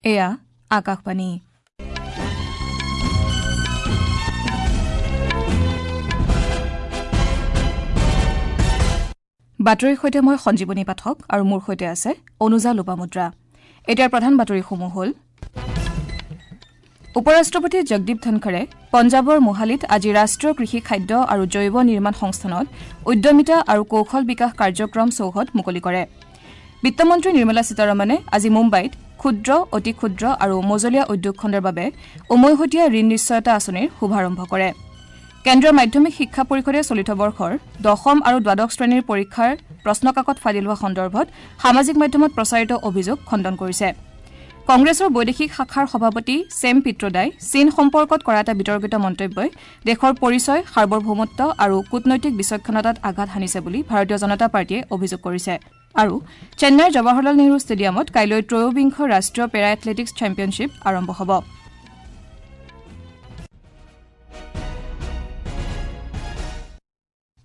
এয়া আকাশবাণী। বাতৰিৰ সৈতে মই সঞ্জীৱনী পাঠক আৰু মোৰ সৈতে আছে অনুজা লোপামুদ্ৰা। এতিয়াৰ প্ৰধান বাতৰিসমূহ হ'ল: উপ-ৰাষ্ট্ৰপতি জগদীপ ধনখৰে পঞ্জাৱৰ মোহালিত আজি ৰাষ্ট্ৰীয় কৃষি খাদ্য আৰু জৈৱ নিৰ্মাণ সংস্থানত উদ্যমিতা আৰু কৌশল বিকাশ কাৰ্যক্ৰম চৌহদ মুকলি কৰে। বিত্তমন্ত্ৰী নিৰ্মলা সীতাৰমণে আজি মুম্বাইত ক্ষুদ্ৰ, অতি ক্ষুদ্ৰ আৰু মজলীয়া উদ্যোগ খণ্ডৰ বাবে উমৈহতীয়া ঋণ নিশ্চয়তা আঁচনিৰ শুভাৰম্ভ কৰে। কেন্দ্ৰীয় মাধ্যমিক শিক্ষা পৰিষদে চলিত বৰ্ষৰ দশম আৰু দ্বাদশ শ্ৰেণীৰ পৰীক্ষাৰ প্ৰশ্নকাকত ফাদিল হোৱা সন্দৰ্ভত সামাজিক মাধ্যমত প্ৰচাৰিত অভিযোগ খণ্ডন কৰিছে। কংগ্ৰেছৰ বৈদেশিক শাখাৰ সভাপতি ছেম পিত্ৰোদাই চীন সম্পৰ্কত কৰা এটা বিতৰ্কিত মন্তব্যই দেশৰ পৰিচয়, সাৰ্বভৌমত্ব আৰু কূটনৈতিক বিচক্ষণতাত আঘাত হানিছে বুলি ভাৰতীয় জনতা পাৰ্টীয়ে অভিযোগ কৰিছে। আৰু চেন্নাইৰ জৱাহৰলাল নেহৰু ষ্টেডিয়ামত কাইলৈ ত্ৰয়োবিংশ ৰাষ্ট্ৰীয় পেৰা এথলেটিকছ চেম্পিয়নশ্বিপ আৰম্ভ হ'ব।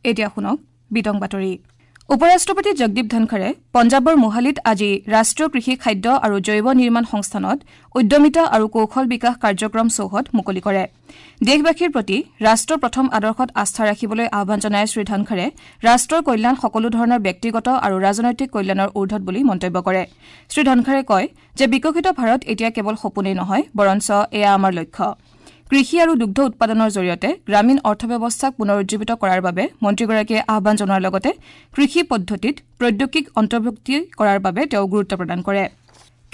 এতিয়া শুনক বিতং বাতৰি। উপ-ৰাষ্ট্ৰপতি জগদীপ ধনখৰে পঞ্জাৱৰ মোহালিত আজি ৰাষ্ট্ৰীয় কৃষি খাদ্য আৰু জৈৱ নিৰ্মাণ সংস্থানত উদ্যমিতা আৰু কৌশল বিকাশ কাৰ্যক্ৰম চৌহদ মুকলি কৰে। দেশবাসীৰ প্ৰতি ৰাষ্ট্ৰ প্ৰথম আদৰ্শত আস্থা ৰাখিবলৈ আহ্বান জনাই শ্ৰীধনখৰে ৰাষ্ট্ৰৰ কল্যাণ সকলো ধৰণৰ ব্যক্তিগত আৰু ৰাজনৈতিক কল্যাণৰ ঊৰ্ধত বুলি মন্তব্য কৰে। শ্ৰীধনখৰে কয় যে বিকশিত ভাৰত এতিয়া কেৱল সপোনেই নহয়, বৰঞ্চ এয়া আমাৰ লক্ষ্য। কৃষি আৰু দুগ্ধ উৎপাদনৰ জৰিয়তে গ্ৰামীণ অৰ্থব্যৱস্থাক পুনৰুজ্জীৱিত কৰাৰ বাবে মন্ত্ৰীগৰাকীয়ে আহ্বান জনোৱাৰ লগতে কৃষি পদ্ধতিত প্ৰৌদ্যোগিক অন্তৰ্ভুক্তি কৰাৰ বাবে তেওঁ গুৰুত্ব প্ৰদান কৰে।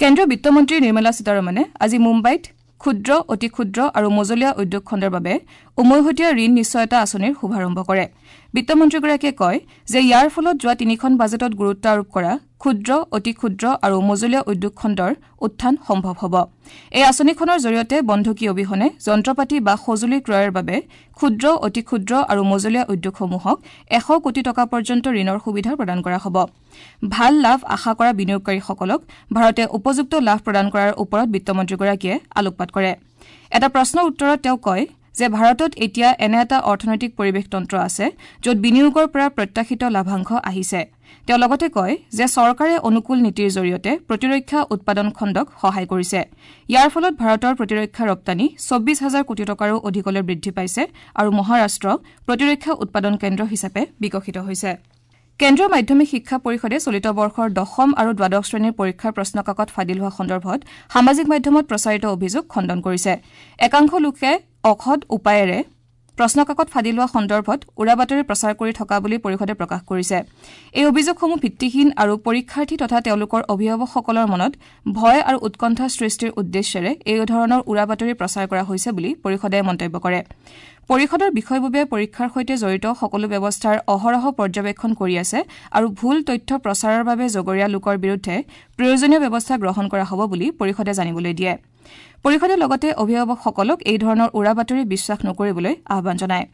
কেন্দ্ৰীয় বিত্তমন্ত্ৰী নিৰ্মলা সীতাৰমণে আজি মুম্বাইত ক্ষুদ্ৰ, অতি ক্ষুদ্ৰ আৰু মজলীয়া উদ্যোগ খণ্ডৰ বাবে উমৈহতীয়া ঋণ নিশ্চয়তা আঁচনিৰ শুভাৰম্ভ কৰে। বিত্তমন্ত্ৰীগৰাকীয়ে কয় যে ইয়াৰ ফলত যোৱা তিনিখন বাজেটত গুৰুত্ব আৰোপ কৰা ক্ষুদ্ৰ, অতি ক্ষুদ্ৰ আৰু মজলীয়া উদ্যোগ খণ্ডৰ উত্থান সম্ভৱ হ'ব। এই আঁচনিখনৰ জৰিয়তে বন্ধকী অবিহনে যন্ত্ৰপাতি বা সঁজুলি ক্ৰয়ৰ বাবে ক্ষুদ্ৰ, অতি ক্ষুদ্ৰ আৰু মজলীয়া উদ্যোগসমূহক 100 কোটি টকা পৰ্যন্ত ঋণৰ সুবিধা প্ৰদান কৰা হ'ব। ভাল লাভ আশা কৰা বিনিয়োগকাৰীসকলক ভাৰতে উপযুক্ত লাভ প্ৰদান কৰাৰ ওপৰত বিত্তমন্ত্ৰীগৰাকীয়ে আলোকপাত কৰে। এটা প্ৰশ্নৰ উত্তৰত তেওঁ কয় যে ভাৰতত এতিয়া এনে এটা অৰ্থনৈতিক পৰিৱেশ তন্ত্ৰ আছে য'ত বিনিয়োগৰ পৰা প্ৰত্যাশিত লাভাংশ আহিছে। তেওঁ লগতে কয় যে চৰকাৰে অনুকূল নীতিৰ জৰিয়তে প্ৰতিৰক্ষা উৎপাদন খণ্ডক সহায় কৰিছে। ইয়াৰ ফলত ভাৰতৰ প্ৰতিৰক্ষা ৰপ্তানি 24 হাজাৰ কোটি টকাৰো অধিকলৈ বৃদ্ধি পাইছে আৰু মহাৰাষ্ট্ৰ প্ৰতিৰক্ষা উৎপাদন কেন্দ্ৰ হিচাপে বিকশিত হৈছে। কেন্দ্ৰীয় মাধ্যমিক শিক্ষা পৰিষদে চলিত বৰ্ষৰ দশম আৰু দ্বাদশ শ্ৰেণীৰ পৰীক্ষাৰ প্ৰশ্নকাকত ফাদিল হোৱা সন্দৰ্ভত সামাজিক মাধ্যমত প্ৰচাৰিত অভিযোগ খণ্ডন কৰিছে। একাংশ লোকে অসৎ উপায়েৰে প্ৰশ্নকাকত ফাদিল হোৱা সন্দৰ্ভত উৰাবাতৰি প্ৰচাৰ কৰি থকা বুলি পৰিষদে প্ৰকাশ কৰিছে। এই অভিযোগসমূহ ভিত্তিহীন আৰু পৰীক্ষাৰ্থী তথা তেওঁলোকৰ অভিভাৱকসকলৰ মনত ভয় আৰু উৎকণ্ঠা সৃষ্টিৰ উদ্দেশ্যেৰে এই ধৰণৰ উৰাবাতৰি প্ৰচাৰ কৰা হৈছে বুলি পৰিষদে মন্তব্য কৰে। পৰিষদৰ বিষয়ববীয়াই পৰীক্ষাৰ সৈতে জড়িত সকলো ব্যৱস্থাৰ অহৰহ পৰ্যবেক্ষণ কৰি আছে আৰু ভুল তথ্য প্ৰচাৰৰ বাবে জগৰীয়া লোকৰ বিৰুদ্ধে প্ৰয়োজনীয় ব্যৱস্থা গ্ৰহণ কৰা হ'ব বুলি পৰিষদে জানিবলৈ দিয়ে। পৰিষদে লগতে অভিভাৱকসকলক এই ধৰণৰ উৰাবাতৰি বিশ্বাস নকৰিবলৈ আহ্বান জনায়।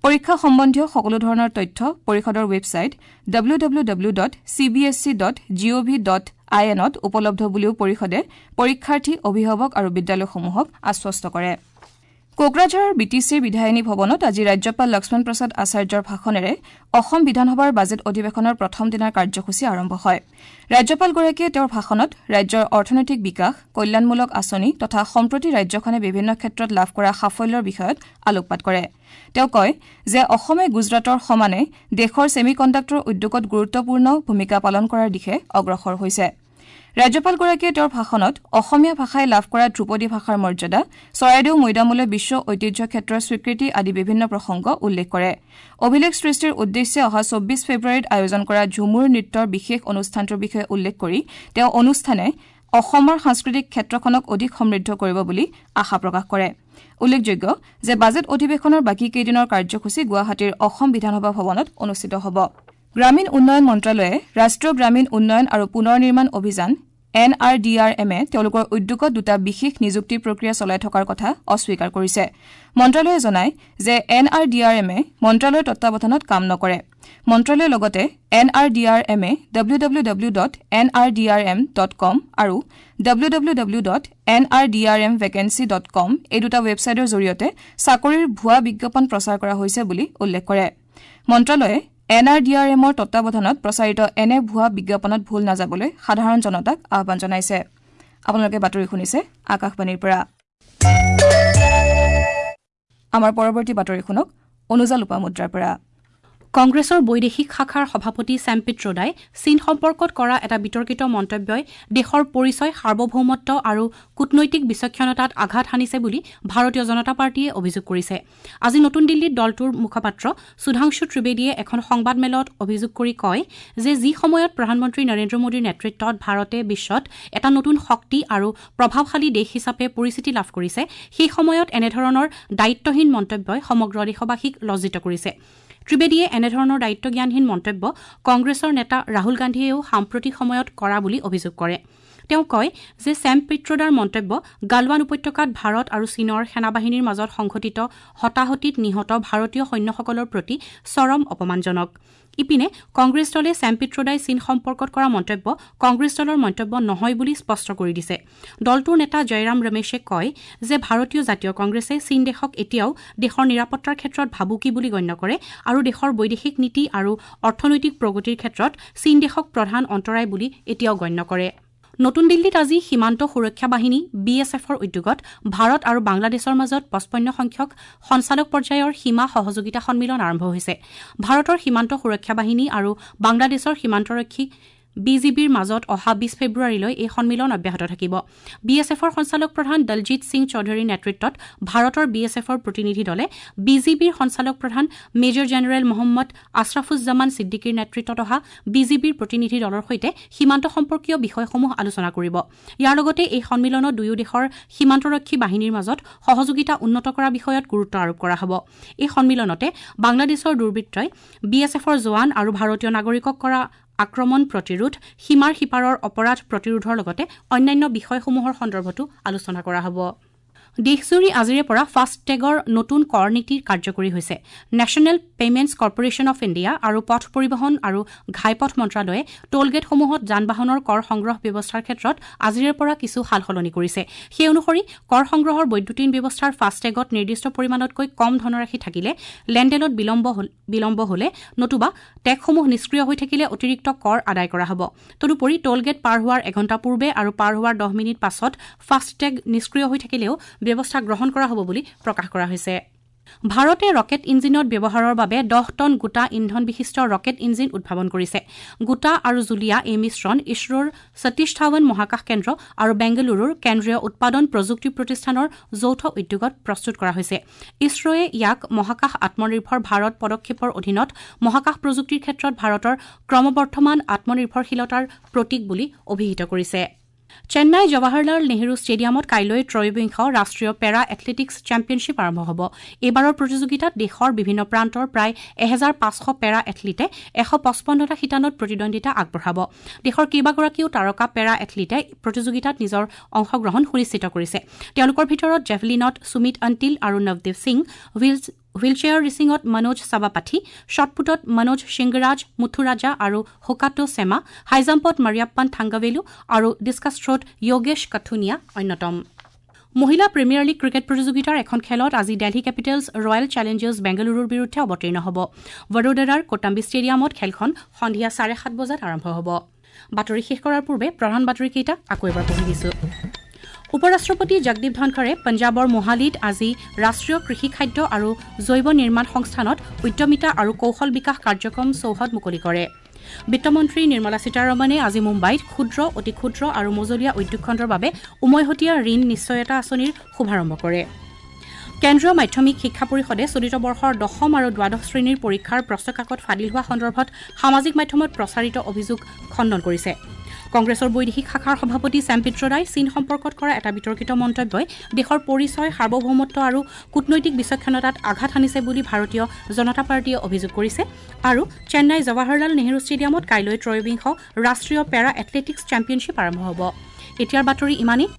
পৰীক্ষা সম্বন্ধীয় সকলো ধৰণৰ তথ্য পৰিষদৰ ৱেবছাইট www.cbsc.gov.in ত উপলব্ধ বুলিও পৰিষদে পৰীক্ষাৰ্থী, অভিভাৱক আৰু বিদ্যালয়সমূহক আশ্বস্ত কৰে। কোকৰাঝাৰৰ বি টি চিৰ বিধায়িনী ভৱনত আজি ৰাজ্যপাল লক্ষ্মণ প্ৰসাদ আচাৰ্যৰ ভাষণেৰে অসম বিধানসভাৰ বাজেট অধিৱেশনৰ প্ৰথম দিনাৰ কাৰ্যসূচী আৰম্ভ হয়। ৰাজ্যপালগৰাকীয়ে তেওঁৰ ভাষণত ৰাজ্যৰ অৰ্থনৈতিক বিকাশ, কল্যাণমূলক আঁচনি তথা সম্প্ৰতি ৰাজ্যখনে বিভিন্ন ক্ষেত্ৰত লাভ কৰা সাফল্যৰ বিষয়ত আলোকপাত কৰে। তেওঁ কয় যে অসমে গুজৰাটৰ সমানে দেশৰ ছেমি কণ্ডাক্টৰ উদ্যোগত গুৰুত্বপূৰ্ণ ভূমিকা পালন কৰাৰ দিশে অগ্ৰসৰ হৈছে। ৰাজ্যপালগৰাকীয়ে তেওঁৰ ভাষণত অসমীয়া ভাষাই লাভ কৰা ধ্ৰুপদী ভাষাৰ মৰ্যাদা, চৰাইদেউ মৈদামলৈ বিশ্ব ঐতিহ্য ক্ষেত্ৰৰ স্বীকৃতি আদি বিভিন্ন প্ৰসংগ উল্লেখ কৰে। অভিলেখ সৃষ্টিৰ উদ্দেশ্যে অহা 24 ফেব্ৰুৱাৰীত আয়োজন কৰা ঝুমুৰ নৃত্যৰ বিশেষ অনুষ্ঠানটোৰ বিষয়ে উল্লেখ কৰি তেওঁ অনুষ্ঠানে অসমৰ সাংস্কৃতিক ক্ষেত্ৰখনক অধিক সমৃদ্ধ কৰিব বুলি আশা প্ৰকাশ কৰে। উল্লেখযোগ্য যে বাজেট অধিৱেশনৰ বাকী কেইদিনৰ কাৰ্যসূচী গুৱাহাটীৰ অসম বিধানসভা ভৱনত অনুষ্ঠিত হ'ব। গ্ৰামীণ উন্নয়ন মন্ত্ৰালয়ে ৰাষ্ট্ৰীয় গ্ৰামীণ উন্নয়ন আৰু পুনৰ নিৰ্মাণ অভিযান এন আৰ ডি আৰ এমে তেওঁলোকৰ উদ্যোগত দুটা বিশেষ নিযুক্তি প্ৰক্ৰিয়া চলাই থকাৰ কথা অস্বীকাৰ কৰিছে। মন্ত্ৰালয়ে জনায় যে এন আৰ ডি আৰ এমে মন্ত্ৰালয়ৰ তত্বাৱধানত কাম নকৰে। মন্ত্ৰালয়ে লগতে এন আৰ ডি আৰ এমে W W W dot N R D R M dot com আৰু W W W dot N R D R M vacancy dot com এই দুটা ৱেবছাইটৰ জৰিয়তে চাকৰিৰ ভুৱা বিজ্ঞাপন প্ৰচাৰ কৰা হৈছে বুলি উল্লেখ কৰে। মন্ত্ৰালয়ে এন আৰ ডি আৰ এমৰ তত্বাৱধানত প্ৰচাৰিত এনে ভুৱা বিজ্ঞাপনত ভুল নাযাবলৈ সাধাৰণ জনতাক আহ্বান জনাইছে। আপোনালোকে বাতৰি শুনিছে আকাশবাণীৰ পৰা। আমাৰ পৰৱৰ্তী বাতৰি শুনক অনুজা লোপামুদ্ৰাৰ পৰা। কংগ্ৰেছৰ বৈদেশিক শাখাৰ সভাপতি ছেম পিট্ৰোডাই চীন সম্পৰ্কত কৰা এটা বিতৰ্কিত মন্তব্যই দেশৰ পৰিচয়, সাৰ্বভৌমত্ব আৰু কূটনৈতিক বিচক্ষণতাত আঘাত হানিছে বুলি ভাৰতীয় জনতা পাৰ্টীয়ে অভিযোগ কৰিছে। আজি নতুন দিল্লীত দলটোৰ মুখপাত্ৰ সুধাংশু ত্ৰিবেদীয়ে এখন সংবাদমেলত অভিযোগ কৰি কয় যে যি সময়ত প্ৰধানমন্ত্ৰী নৰেন্দ্ৰ মোদীৰ নেতৃত্বত ভাৰতে বিশ্বত এটা নতুন শক্তি আৰু প্ৰভাৱশালী দেশ হিচাপে পৰিচিতি লাভ কৰিছে, সেই সময়ত এনেধৰণৰ দায়িত্বহীন মন্তব্যই সমগ্ৰ দেশবাসীক লজ্জিত কৰিছে। ত্ৰিবেদীয়ে এনেধৰণৰ দায়িত্বজ্ঞানহীন মন্তব্য কংগ্ৰেছৰ নেতা ৰাহুল গান্ধীয়েও সাম্প্ৰতিক সময়ত কৰা বুলি অভিযোগ কৰে। তেওঁ কয় যে ছেম পিট্ৰোডাৰ মন্তব্য গালৱান উপত্যকাত ভাৰত আৰু চীনৰ সেনাবাহিনীৰ মাজত সংঘটিত হতাহতিত নিহত ভাৰতীয় সৈন্যসকলৰ প্ৰতি চৰম অপমানজনক। ইপিনে কংগ্ৰেছ দলে ছেম পিট্ৰোডাই চীন সম্পৰ্কত কৰা মন্তব্য কংগ্ৰেছ দলৰ মন্তব্য নহয় বুলি স্পষ্ট কৰি দিছে। দলটোৰ নেতা জয়ৰাম ৰমেশে কয় যে ভাৰতীয় জাতীয় কংগ্ৰেছে চীন দেশক এতিয়াও দেশৰ নিৰাপত্তাৰ ক্ষেত্ৰত ভাবুকি বুলি গণ্য কৰে আৰু দেশৰ বৈদেশিক নীতি আৰু অৰ্থনৈতিক প্ৰগতিৰ ক্ষেত্ৰত চীন দেশক প্ৰধান অন্তৰায় বুলি এতিয়াও গণ্য কৰে। নতুন দিল্লীত আজি সীমান্ত সুৰক্ষা বাহিনী বি এছ এফৰ উদ্যোগত ভাৰত আৰু বাংলাদেশৰ মাজত ৫৫ সংখ্যক সঞ্চালক পৰ্যায়ৰ সীমা সহযোগিতা সন্মিলন আৰম্ভ হৈছে। ভাৰতৰ সীমান্ত সুৰক্ষা বাহিনী আৰু বাংলাদেশৰ সীমান্তৰক্ষী বি জি বিৰ মাজত অহা ২০ ফেব্ৰুৱাৰীলৈ এই সন্মিলন অব্যাহত থাকিব। বি এছ এফৰ সঞ্চালক প্ৰধান দলজিৎ সিং চৌধুৰীৰ নেতৃত্বত ভাৰতৰ বি এছ এফৰ প্ৰতিনিধি দলে বি জি বিৰ সঞ্চালক প্ৰধান মেজৰ জেনেৰেল মহম্মদ আশ্ৰাফুজ্জামান ছিদ্দিকীৰ নেতৃত্বত অহা বি জি বিৰ প্ৰতিনিধি দলৰ সৈতে সীমান্ত সম্পৰ্কীয় বিষয়সমূহ আলোচনা কৰিব। ইয়াৰ লগতে এই সন্মিলনত দুয়ো দেশৰ সীমান্তৰক্ষী বাহিনীৰ মাজত সহযোগিতা উন্নত কৰা বিষয়ত গুৰুত্ব আৰোপ কৰা হ'ব। এই সন্মিলনতে বাংলাদেশৰ দুৰ্বৃত্তই বি এছ এফৰ জোৱান আৰু ভাৰতীয় নাগৰিকক কৰা আক্ৰমণ প্ৰতিৰোধ, সীমাৰ সিপাৰৰ অপৰাধ প্ৰতিৰোধৰ লগতে অন্যান্য বিষয়সমূহৰ সন্দৰ্ভতো আলোচনা কৰা হ'ব। দেশজুৰি আজিৰে পৰা ফাষ্টটেগৰ নতুন কৰ নীতি কাৰ্যকৰী হৈছে। National Payments Corporation of India আৰু পথ পৰিবহণ আৰু ঘাইপথ মন্ত্ৰালয়ে টোলগেটসমূহত যান বাহনৰ কৰ সংগ্ৰহ ব্যৱস্থাৰ ক্ষেত্ৰত আজিৰে পৰা কিছু সালসলনি কৰিছে। সেই অনুসৰি কৰ সংগ্ৰহৰ বৈদ্যুতিন ব্যৱস্থাৰ ফাষ্টটেগত নিৰ্দিষ্ট পৰিমাণতকৈ কম ধনৰাশি থাকিলে, লেনদেনত বিলম্ব হলে নতুবা টেগসমূহ নিষ্ক্ৰিয় হৈ থাকিলে অতিৰিক্ত কৰ আদায় কৰা হ'ব। তদুপৰি টোলগেট পাৰ হোৱাৰ এঘণ্টা পূৰ্বে আৰু পাৰ হোৱাৰ ১০ মিনিট পাছত ফাষ্টটেগ নিষ্ক্ৰিয় হৈ থাকিলেও ব্যৱস্থা গ্ৰহণ কৰা হ'ব বুলি প্ৰকাশ কৰা হৈছে। ভাৰতে ৰকেট ইঞ্জিনত ব্যৱহাৰৰ বাবে ১০ টন গোটা ইন্ধন বিশিষ্ট ৰকেট ইঞ্জিন উদ্ভাৱন কৰিছে। গোটা আৰু জুলীয়া এই মিশ্ৰণ ইছৰোৰ সতীশ ধাৱান মহাকাশ কেন্দ্ৰ আৰু বেংগালুৰুৰ কেন্দ্ৰীয় উৎপাদন প্ৰযুক্তি প্ৰতিষ্ঠানৰ যৌথ উদ্যোগত প্ৰস্তুত কৰা হৈছে। ইছৰোৱে ইয়াক মহাকাশ আত্মনিৰ্ভৰ ভাৰত পদক্ষেপৰ অধীনত মহাকাশ প্ৰযুক্তিৰ ক্ষেত্ৰত ভাৰতৰ ক্ৰমবৰ্ধমান আত্মনিৰ্ভৰশীলতাৰ প্ৰতীক বুলি অভিহিত কৰিছে। চেন্নাই জৱাহৰলাল নেহৰু ষ্টেডিয়ামত কাইলৈ ত্ৰয়োবিংশ ৰাষ্ট্ৰীয় পেৰা এথলেটিকছ চেম্পিয়নশ্বিপ আৰম্ভ হ'ব। এইবাৰৰ প্ৰতিযোগিতাত দেশৰ বিভিন্ন প্ৰান্তৰ প্ৰায় ১৫০০ পেৰা এথলীটে ১৫৫টা শিতানত প্ৰতিদ্বন্দ্বিতা আগবঢ়াব। দেশৰ কেইবাগৰাকীও তাৰকা পেৰা এথলীটে প্ৰতিযোগিতাত নিজৰ অংশগ্ৰহণ সুনিশ্চিত কৰিছে। তেওঁলোকৰ ভিতৰত জেভলিনত সুমিত অন্তিল আৰু নৱদীপ সিং, হুইলচেয়াৰ ৰেচিঙত মনোজ চাবাপাথী, শ্বটপুটত মনোজ সিংৰাজ মুথুৰাজা আৰু হোকাটো চেমা, হাইজাম্পত মাৰিয়াপ্পান থাংগাভেলু আৰু ডিছকাছ থ্ৰত য়োগেশ কাথুনিয়া অন্যতম। মহিলা প্ৰিমিয়াৰ লীগ ক্ৰিকেট প্ৰতিযোগিতাৰ এখন খেলত আজি দেলহি কেপিটেলছ ৰয়েল চেলেঞ্জাৰ্ছ বেংগালুৰুৰ বিৰুদ্ধে অৱতীৰ্ণ হ'ব। বড়োদৰাৰ কোটাম্বি ষ্টেডিয়ামত খেলখন সন্ধিয়া ৭:৩০ বজাত আৰম্ভ হ'ব। বাতৰি শেষ কৰাৰ পূৰ্বে প্ৰধান বাতৰিকেইটা আকৌ এবাৰ পঢ়ি দিছো। উপ-ৰাষ্ট্ৰপতি জগদীপ ধনখৰে পঞ্জাৱৰ মোহালিত আজি ৰাষ্ট্ৰীয় কৃষি খাদ্য আৰু জৈৱ নিৰ্মাণ সংস্থানত উদ্যমিতা আৰু কৌশল বিকাশ কাৰ্যক্ৰম চৌহদ মুকলি কৰে। বিত্তমন্ত্ৰী নিৰ্মলা সীতাৰমণে আজি মুম্বাইত ক্ষুদ্ৰ, অতি ক্ষুদ্ৰ আৰু মজলীয়া উদ্যোগ খণ্ডৰ বাবে উমৈহতীয়া ঋণ নিশ্চয়তা আঁচনিৰ শুভাৰম্ভ কৰে। কেন্দ্ৰীয় মাধ্যমিক শিক্ষা পৰিষদে চলিত বৰ্ষৰ দশম আৰু দ্বাদশ শ্ৰেণীৰ পৰীক্ষাৰ প্ৰশ্নকাকত ফাদিল হোৱা সন্দৰ্ভত সামাজিক মাধ্যমত প্ৰচাৰিত অভিযোগ খণ্ডন কৰিছে। কংগ্ৰেছৰ বৈদেশিক শাখাৰ সভাপতি ছেম পিট্ৰোডাই চীন সম্পৰ্কত কৰা এটা বিতৰ্কিত মন্তব্যই দেশৰ পৰিচয়, সাৰ্বভৌমত্ব আৰু কূটনৈতিক বিচক্ষণতাত আঘাত হানিছে বুলি ভাৰতীয় জনতা পাৰ্টীয়ে অভিযোগ কৰিছে। আৰু চেন্নাই জৱাহৰলাল নেহৰু ষ্টেডিয়ামত কাইলৈ ত্ৰয়োবিংশ ৰাষ্ট্ৰীয় পেৰা এথলেটিকছ চেম্পিয়নশ্বিপ আৰম্ভ হ'ব। এতিয়াৰ বাতৰি ইমানেই।